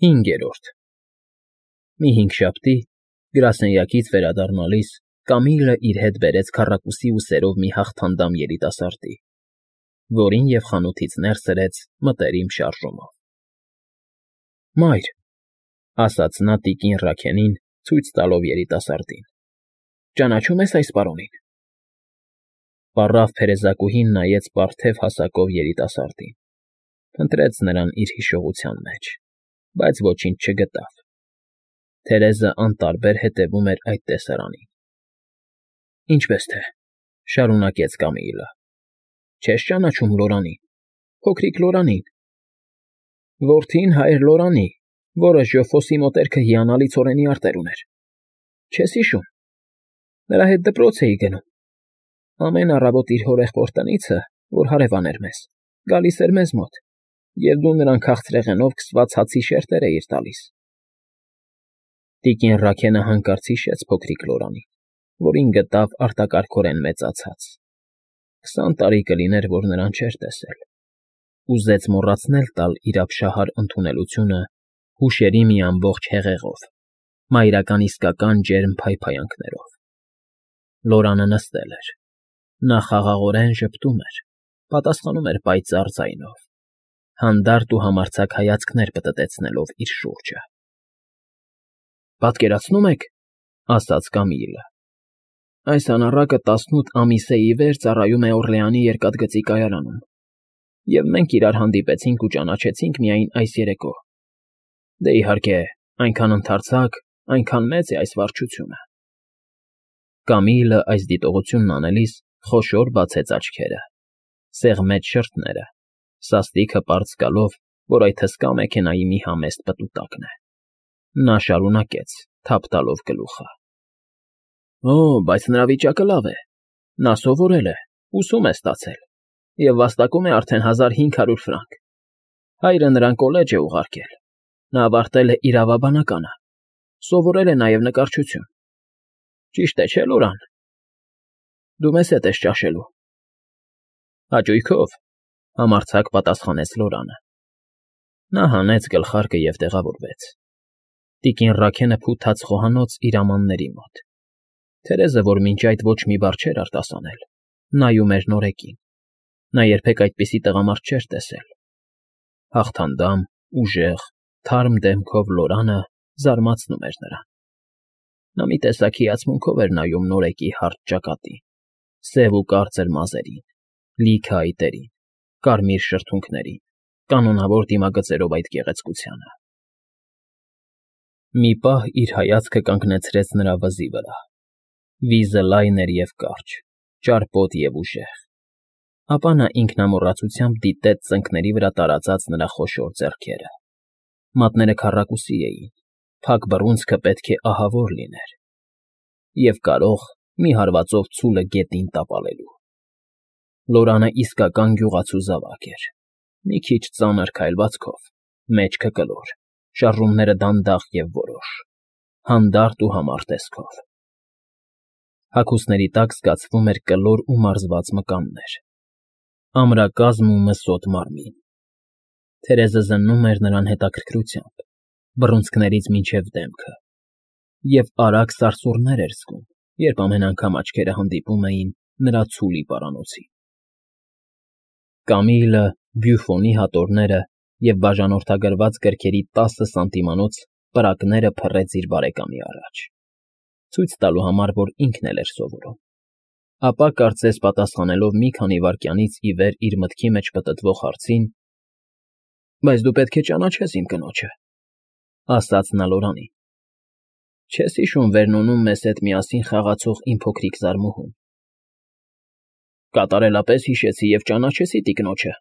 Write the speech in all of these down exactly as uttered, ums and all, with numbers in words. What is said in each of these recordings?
Հինգերորդ Մի հինգշաբթի, գրասենյակից վերադառնալիս, Կամիլը իր հետ բերեց քառակուսի ու սերով մի հաղթանդամ երիտասարդի, որին և խանութից ներս սրեց մտերիմ շարժումով։ ֊ Մայր,֊ ասաց նա տիկին Ռաքենին, ցույց տալով երիտասարդին,֊ ճանաչո՞ւմ ես այս պարոնին։ Պառավ փերեզակուհին նայեց պարթև հասակով երիտասարդին, փնտրեց նրան իր հիշողության մեջ, բայց ոչինչ չգտավ. Թերեզը անտարբեր հետևում էր այդ տեսարանին։ ֊ Ինչպես թե,֊ շարունակեց Կամիլը,֊ չե՞ս ճանաչում Լորանին, փոքրիկ Լորանին… Որդին հայր Լորանի, որը Ժոֆոսի մոտերքը հիանալի ցորենի արտեր ուներ… Չե՞ս հիշում… Նրա հետ դպրոց էի գնում… Ամեն առավոտ իր հորեղբոր տնից, որ հարևան էր մեզ, գալիս էր մեզ մոտ, և դու նրան քաղցրեղենով քսված հացի շերտեր էիր տալիս… Տիկին Ռաքենը հանկարծ հիշեց փոքրիկ Լորանին, որին գտավ արտակարգորեն մեծացած. քսան տարի կլիներ, որ նրան չէր տեսել… Ուզեց մոռացնել տալ իր ապշահար ընդունելությունը հուշերի մի ամբողջ հեղեղով, մայրական իսկական ջերմ փայփայանքներով… Լորանը նստել էր… Նա խաղաղորեն ժպտում էր, պատասխանում էր պայծառ ձայնով, հանդարտ ու համարձակ հայացքներ պտտեցնելով իր շուրջը։ ֊ Պատկերացնո՞ւմ եք,֊ ասաց Կամիլը,֊ այս անառակը տասնութ ամիս է ի վեր ծառայում է Օռլեանի երկաթգծի կայարանում, և մենք իրար հանդիպեցինք ու ճանաչեցինք միայն այս երեկո… Դե, իհարկե, այնքան ընդարձակ, այնքան մեծ է այս վարչությունը… Կամիլը այս դիտողությունն անելիս խոշոր բացեց աչքերը, սեղմեց շրթները, սաստիքը պարզ զգալով, որ այդ հսկա մեքենայի մի համեստ պտուտակն է… Նա շարունակեց, թափ տալով գլուխը. ֊ Օ, բայց նրա վիճակը լավ է… Նա սովորել է, ուսում է ստացել և վաստակում է արդեն հազար հինգ հարյուր ֆրանկ… Հայրը նրան կոլեջ է ուղարկել, նա ավարտել է իրավաբանականը, սովորել է նաև նկարչություն… Ճիշտ է, չէ՞, Լորան… Դու մեզ հետ ես ճաշելու… Հաճույքով,֊ համարձակ պատասխանեց Լորանը։ Նա հանեց գլխարկը և տեղավորվեց… Տիկին Ռաքենը փութաց խոհանոց իր ամանների մոտ… Թերեզը, որ մինչ այդ ոչ մի բառ չէր արտասանել, նայում էր նորեկին… Նա երբեք այդպիսի տղամարդ չէր տեսել… Հաղթանդամ, ուժեղ, թարմ դեմքով Լորանը զարմացնում էր նրան… Նա մի տեսակ հիացմունքով էր նայում նորեկի հարթ ճակատին, սև ու կարծր մազերին, լիքը այտերին, կարմիր շրթունքներին, կանոնավոր դիմագծերով այդ գեղեցկությանը… Մի պահ իր հայացքը կանգնեցրեց նրա վզի վրա… Վիզը լայն էր և կարճ, ճարպոտ և ուժեղ… Ապա նա ինքնամոռացությամբ դիտեց ծնկների վրա տարածած նրա խոշոր ձեռքերը… Մատները քառակուսի էին, փակ բռունցքը պետք է ահավոր լիներ… Եվ կարող մի հարվածով ցուլը գետին տապալելու… Լորանը իսկական գյուղացու զավակ էր… Մի քիչ ծանր քայլվածքով, մեջքը կլոր, շարժումները դանդաղ և որոշ, հանդարտ ու համառ տեսքով… Հագուստների տակ զգացվում էր կլոր ու մարզված մկաններ, ամրակազմ ու մսոտ մարմին… Թերեզը զննում էր նրան հետաքրքրությամբ, բռունցքներից մինչև դեմքը, և արագ սարսուռներ էր զգում, երբ ամեն անգամ աչքերը հանդիպում էին նրա ցուլի պարանոցին… Կամիլը Բյուֆոնի հատորները և բաժանորդագրված գրքերի տասը սանտիմանոց պրակները փռեց իր բարեկամի առաջ, ցույց տալու համար, որ ինքն էլ էր սովորում… Ապա, կարծես պատասխանելով մի քանի վայրկյանից ի վեր իր մտքի մեջ պտտվող հարցին. ֊ Բայց դու պետք է ճանաչես իմ կնոջը,֊ ասաց նա Լորանին,֊ չե՞ս հիշում Վերնոնում մեզ հետ միասին խաղացող իմ փոքրիկ զարմուհուն… Կատարելապես հիշեցի և ճանաչեցի տիկնոջը,֊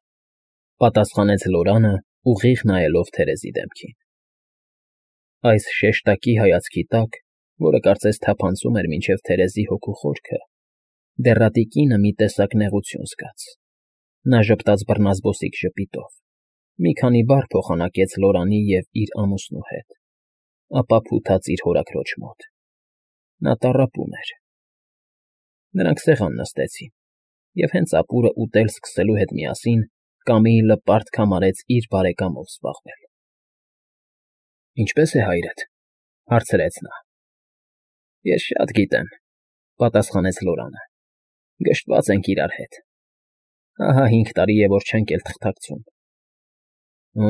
պատասխանեց Լորանը, ուղիղ նայելով Թերեզի դեմքին… Այս շեշտակի հայացքի տակ, որը կարծես թափանցում էր մինչև Թերեզի հոգու խորքը, դեռատիկինը մի տեսակ նեղություն զգաց… Նա ժպտաց բռնազբոսիկ ժպիտով, մի քանի բառ փոխանակեց Լորանի և իր ամուսնու հետ, ապա փութաց իր հորաքրոջ մոտ… Նա տառապում էր… Նրանք սեղան նստեցին, և հենց ապուրը ուտել սկսելու հետ միասին Կամիլը պարտք համարեց իր բարեկամով զբաղվել… Ինչպե՞ս է հայրդ,֊ հարցրեց նա։ Ես շատ գիտեմ,֊ պատասխանեց Լորանը։ Գժտված ենք իրար հետ։ Ահա հինգ տարի է, որ չենք էլ թղթակցում։ Օ՜,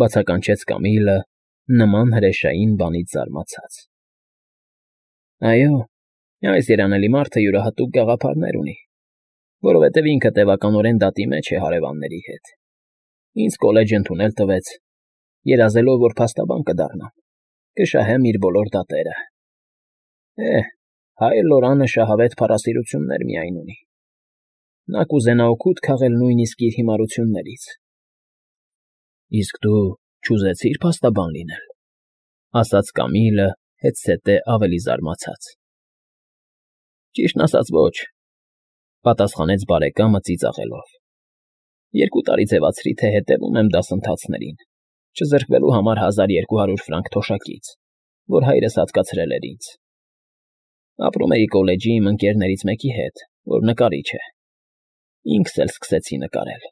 բացականչեց Կամիլը նման հրեշային բանից զարմացած։ Այո, այս երանելի մարդը յուրահատուկ գաղափարներ ունի, որովհետև ինքը տևականորեն դատի մեջ է հարևանների հետ։ Ինձ կոլեջ ընդունել տվեց, երազելով, որ փաստաբան կդառնամ, կշահեմ իր բոլոր դատերը։ Է, հայր Լորանը շահավետ փառասիրություններ միայն ունի։ Նա կուզենա օգուտ քաղել նույնիսկ իր հիմարություններից։ Իսկ դու չուզեցի՞ր փաստաբան լինել,֊ ասաց Կամիլը հետզհետե ավելի զարմացած։ Ճիշտն ասած, ոչ,֊ պատասխանեց բարեկամը ծիծաղելով։ Երկու տարի ձևացրի, թե հետևում եմ դասընթացներին, չզրկվելու համար հազար երկու հարյուր ֆրանկ թոշակից, որ հայրս հատկացրել էր ինձ։ Ապրում էի կոլեջի իմ ընկերներից մեկի հետ, որ նկարիչ է։ Ինքս էլ սկսեցի նկարել,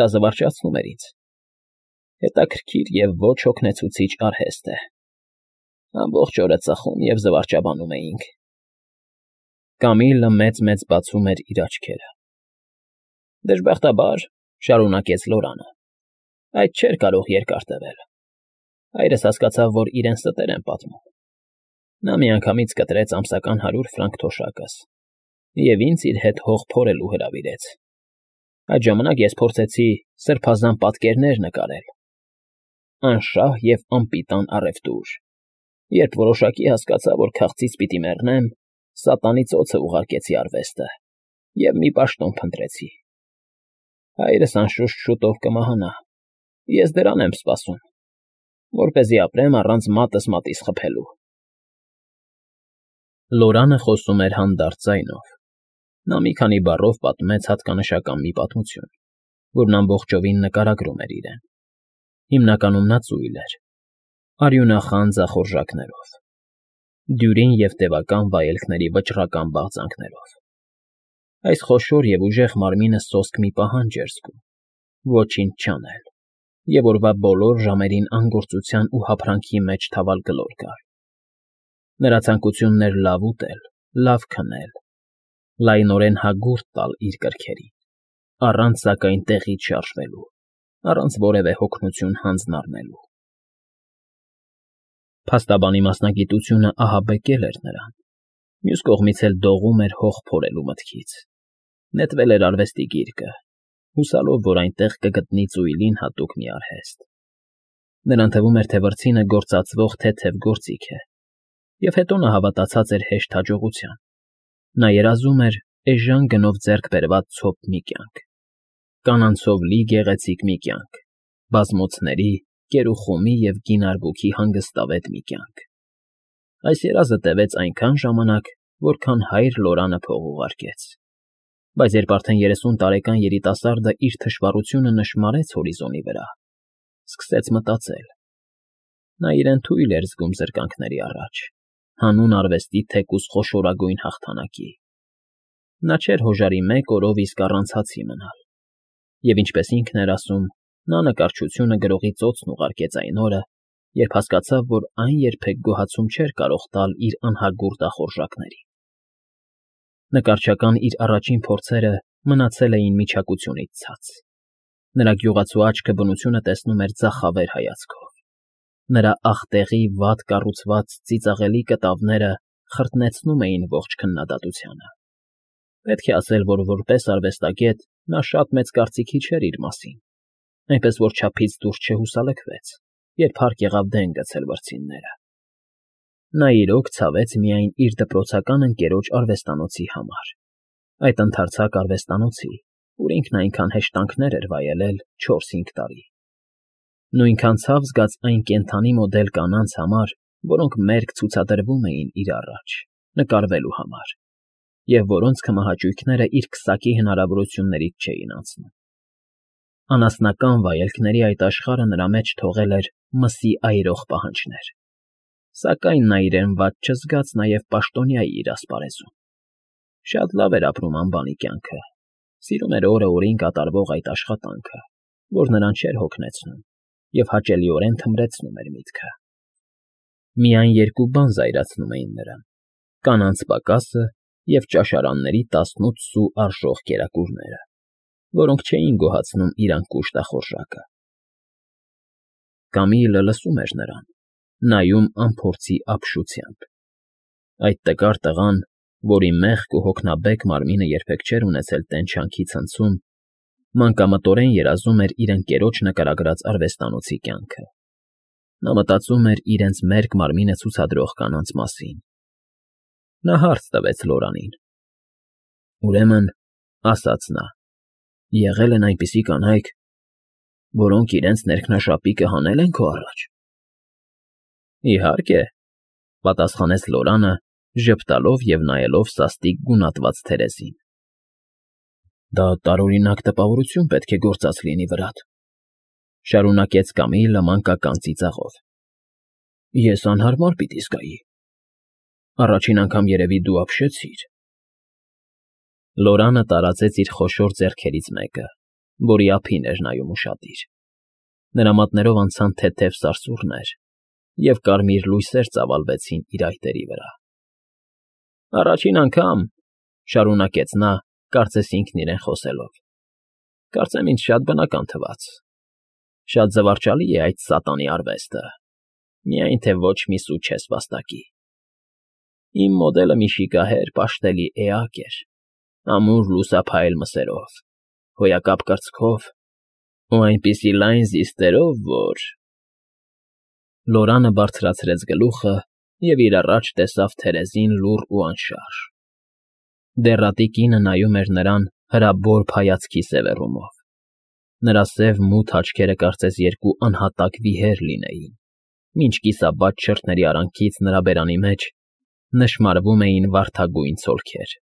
դա զվարճացնում էր ինձ։ Հետաքրքիր և ոչ հոգնեցուցիչ արհեստ է։ Ամբողջ օրը ծխում և զվարճաբանում էինք։ Կամիլը մեծ֊մեծ բացում էր իր աչքերը։ Դժբախտաբար, շարունակեց Լորանը, այդ չէր կարող երկար տևել։ Հայրս հասկացավ, որ իրեն ստեր են պատմում։ Նա միանգամից կտրեց ամսական հարյուր ֆրանկ թոշակս և ինձ իր հետ հող փորելու հրավիրեց։ Այդ ժամանակ ես փորձեցի սրբազան պատկերներ նկարել։ Անշահ և անպիտան առևտուր։ Երբ որոշակի հասկացա, որ քաղցից պիտի մեռնեմ, սատանի ծոցը ուղարկեցի արվեստը և մի պաշտոն փնտրեցի։ Հայրս անշուշտ շուտով կմահանա։ Ես դրան եմ սպասում, որպեսզի ապրեմ առանց մատս մատից խփելու։ Լորանը խոսում էր հանդարտ ձայնով։ Նա մի քանի բառով պատմեց հատկանշական մի պատմություն, որն ամբողջովին նկարագրում էր իրեն։ Հիմնականում նա ծույլ էր, արյունախան ձախորժակներով, դյուրին և տևական վայելքների վճռական բաղձանքներով։ Այս խոշոր և ուժեղ մարմինը սոսկ մի պահանջ էր զգում՝ ոչինչ չանել, և օրվա բոլոր ժամերին անգործության ու հափրանքի մեջ թավալ գլոր գալ։ Նրա ցանկությունն էր լավ ուտել, լավ քնել, լայնորեն հագուրդ տալ իր կրքերին, առանց սակայն տեղից շարժվելու, առանց որևէ հոգնություն հանձն առնելու։ Փաստաբանի մասնագիտությունը ահաբեկել էր նրան, մյուս կողմից էլ դողում էր հող փորելու մտքից։ Նետվել էր արվեստի գիրկը, հուսալով, որ այնտեղ կգտնի ծույլին հատուկ մի արհեստ։ Նրան թվում էր, թե վրձինը գործածվող թեթև գործիք է, և հետո նա հավատացած էր հեշտ հաջողության։ Նա երազում էր էժան գնով ձեռք բերված ցոփ մի կյանք, կանանցով լի գեղեցիկ մի կյանք, բազմոցների, կերուխումի և գին արբուքի հանգստավետ մի կյանք։ Այս երազը տևեց այնքան ժամանակ, որքան հայր Լորանը փող ուղարկեց։ Բայց երբ արդեն երեսուն տարեկան երիտասարդը իր թշվառությունը նշմարեց հորիզոնի վրա, սկսեց մտածել։ Նա իրեն թույլ էր զգում զրկանքների առաջ, հանուն արվեստի թեկուզ խոշորագույն հաղթանակի։ Նա չէր հոժարի մեկ օրով իսկ առանց հացի մնալ։ Եվ ինչպես ինքն էր ասում, նա նկարչությունը գրողի ծոցն ուղարկեց այն օրը, երբ հասկացավ, որ այն երբեք գոհացում չէր կարող տալ իր անհագուրդ ախորժակներին։ Նկարչական իր առաջին փորձերը մնացել էին միչակությունից ցած։ Նրա գյուղացու աչքը բնությունը տեսնում էր ձախավեր հայացքով։ Նրա աղտեղի վատ կառուցված ծիծաղելի կտավները խրտնեցնում էին ողջ քննադատությանը։ Պետք է ասել, որ որպես արվեստագետ նա շատ մեծ կարծիքի չէր իր մասին, այնպես որ չափից դուրս չհուսալքվեց, երբ հարկ եղավ դեն գցել վրձինները։ Նա իրոք ցավեց միայն իր դպրոցական ընկերոջ արվեստանոցի համար, այդ ընդարձակ արվեստանոցի, ուր ինքն այնքան հեշտանքներ էր վայելել չորս֊հինգ տարի։ Նույնքան ցավ զգաց այն կենդանի մոդել կանանց համար, որոնք մերկ ցուցադրվում էին իր առաջ, նկարվելու համար, և որոնց քմահաճույքները իր քսակի հնարավորություններից չէին անցնում։ Անասնական վայելքների այդ աշխարհը նրա մեջ թողել էր մսի այրող պահանջներ։ Սակայն նա իրեն վատ չզգաց նաև պաշտոնյայի իր ասպարեզում։ Շատ լավ էր ապրում անբանի կյանքը, սիրում էր օրը օրին կատարվող այդ աշխատանքը, որ նրան չէր հոգնեցնում, և հաճելիորեն թմրեցնում էր միտքը։ Միայն երկու բան զայրացնում էին նրան. կանանց պակասը և ճաշարանների տասնութ սու արժող կերակուրները, որոնք չէին գոհացնում իր անկուշ տախորժակը։ Կամիլը լսում էր նրան, նայում անփորձի ապշությամբ։ Այդ տկար տղան, որի մեղք ու հոգնաբեկ մարմինը երբեք չէր ունեցել տենչանքի ցնցում, մանկամտորեն երազում էր իր ընկերոջ նկարագրած արվեստանոցի կյանքը։ Նա մտածում էր իրենց մերկ մարմինը ցուցադրող կանանց մասին։ Նա հարց տվեց Լորանին։ Ուրեմն, ասաց նա, եղել են այնպիսի կանայք, որոնք իրենց ներքնաշապիկը հանել են քո առաջ։ Իհարկե, պատասխանեց Լորանը, ժպտալով և նայելով սաստիկ գունատված Թերեզին։ Դա տարօրինակ տպավորություն պետք է գործած լինի վրադ, շարունակեց Կամիլը մանկական ծիծաղով։ Ես անհարմար պիտի զգայի։ Առաջին անգամ երևի դու ապշեցիր։ Լորանը տարածեց իր խոշոր ձեռքերից մեկը, որի ափին էր նայում ուշադիր։ Նրա մատներով անցան թեթև սարսուռներ, և կարմիր լույսեր ծավալվեցին իր այտերի վրա։ Առաջին անգամ, շարունակեց նա, կարծես ինքն իրեն խոսելով, կարծեմ ինձ շատ բնական թվաց։ Շատ զվարճալի է այդ սատանի արվեստը, միայն թե ոչ մի սու չես վաստակի։ Իմ մոդելը մի շիկահեր, պաշտելի էակ էր, ամուր լուսափայլ մսերով, հոյակապ կրծքով ու այնպիսի լայն զիստերով, որ… Լորանը բարձրացրեց գլուխը և իր առաջ տեսավ Թերեզին լուռ ու անշարժ։ Դեռատի կինը նայում էր նրան հրաբորբ հայացքի սևեռումով։ Նրա սև֊մութ աչքերը կարծես երկու անհատակ վիհեր լինեին, մինչ կիսաբաց շրթների արանքից նրա բերանի մեջ նշմարվում էին վարդագույն ցոլքեր։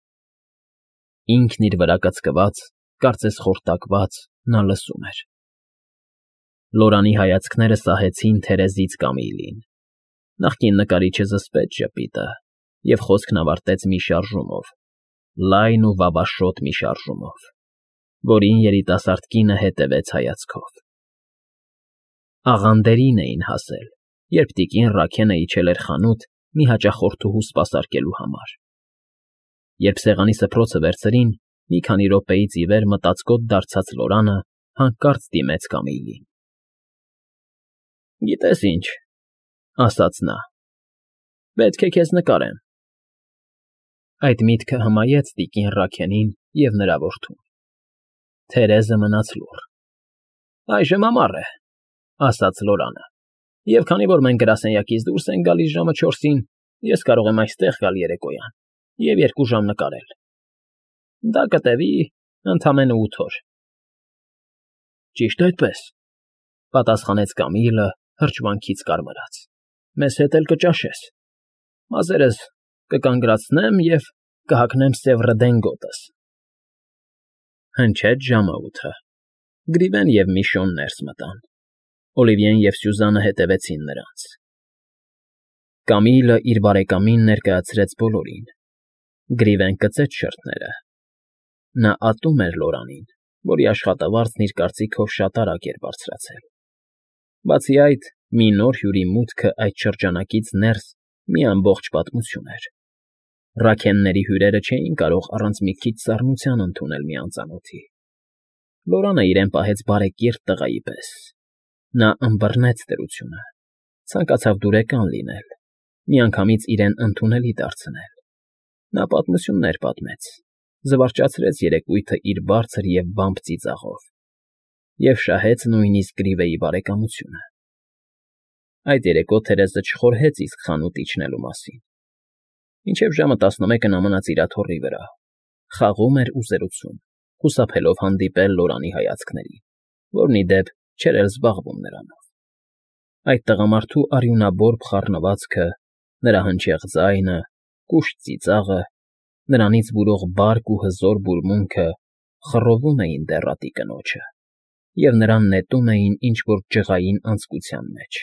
Ինքն իր վրա կծկված, կարծես խորտակված, նա լսում էր։ Լորանի հայացքները սահեցին Թերեզից Կամիլին։ Նախկին նկարիչը զսպեց ժպիտը և խոսքն ավարտեց մի շարժումով, լայն ու վավաշոտ մի շարժումով, որին երիտասարդ կինը հետևեց հայացքով։ Աղանդերին էին հասել, երբ տիկին Ռաքենը իջել էր խանութ մի հաճախորդուհու սպասարկելու համար։ Երբ սեղանի սփռոցը վերցրին, մի քանի րոպեից ի վեր մտածկոտ դարձած Լորանը հանկարծ դիմեց Կամիլին։ Գիտես ինչ, ասաց նա, պետք է քեզ նկարեմ։ Այդ միտքը հմայեց տիկին Ռաքենին և նրա որդուն։ Թերեզը մնաց լուռ։ Այժմ ամառ է, ասաց Լորանը, և քանի որ մենք գրասենյակից դուրս ենք գալիս ժամը չորսին, ես կարող եմ այստեղ գալ երեկոյան և երկու ժամ նկարել։ Դա կտևի ընդամենը ութ օր։ Ճիշտ այդպես, պատասխանեց Կամիլը հրճվանքից կարմրած։ Մեզ հետ էլ կճաշես։ Մազերս կկանգրացնեմ և կհագնեմ սև ռդենգոտս։ Հնչեց ժամը ութը։ Գրիվեն և Միշոն ներս մտան։ Օլիվիեն և Սյուզանը հետևեցին նրանց։ Կամիլը իր բարեկամին ներկայացրեց բոլորին։ Գրիվեն կծեց շրթները։ Նա ատում էր Լորանին, որի աշխատավարձն իր կարծիքով շատ արագ էր բարձրացել։ Բացի այդ, մի նոր հյուրի մուտքը այդ շրջանակից ներս մի ամբողջ պատմություն էր։ Ռաքենների հյուրերը չէին կարող առանց մի քիչ սառնության ընդունել մի անծանոթի։ Լորանը իրեն պահեց բարեկիրթ տղայի պես։ Նա ըմբռնեց դրությունը, ցանկացավ դուրեկան լինել, միանգամից իրեն ընդունելի դարձնել։ Նա պատմություններ պատմեց, զվարճացրեց երեկույթը իր բարձր և բամբ ծիծաղով և շահեց նույնիսկ Գրիվեի բարեկամությունը։ Այդ երեկո Թերեզը չխորհեց իսկ խանութ իջնելու մասին։ Մինչև ժամը տասնմեկը նա մնաց իր աթոռի վրա, խաղում էր ու զրուցում, խուսափելով հանդիպել Լորանի հայացքներին, որն, ի դեպ, չէր էլ զբաղվում նրանով։ Այդ տղամարդու արյունաբորբ խառնվածքը, նրա հնչեղ ձայնը, կուշտ ծիծաղը, նրանից բուրող բարկ ու հզոր բուրմունքը խռովում էին դեռատի կնոջը և նրան նետում էին ինչ֊որ ջղային անձկության մեջ։